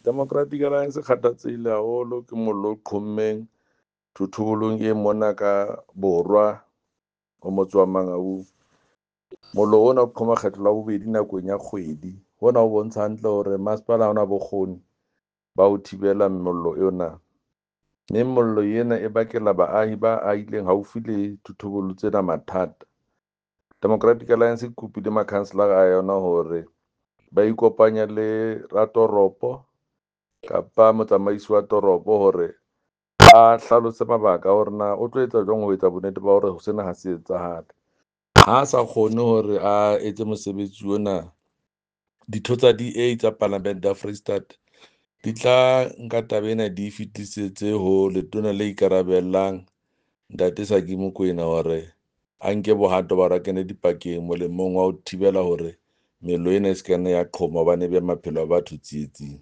Democratic Alliance e kgathatsehile haholo ke mollo o qhommeng thothobolong e mona ka borwa ho motse wa Mangaung. Mollo ona o qhoma kgetlo la bobedi nakong ya kgwedi. Hona ho bontsha hantle hore masepala ha ona bokgoni ba ho thibela mollo ena. Mme mollo ena e bakela baahi ba ahileng haufi le thothobolo tsena mathata. Democratic Alliance e kopile makhanselara a yona hore ba ikopanye le ratoropo kapa motsamaisi wa toropo hore a hlalose mabaka a hore na o tlo etsa jwang ho etsa bonnete ba hore sena ha se etsahale. Ha a sa kgone hore a etse mosebetsi ona, ditho tsa DA tsa Palamente ya Freistata di tla nka taba ena di e fetisetse ho letona le ikarabellang Ntate Saki Mokoena hore a nke bohato ba hore a kene dipakeng molemong wa ho thibela hore mello ena e se ka nna ya qhoma hobane e beha maphelo a batho tsietsing.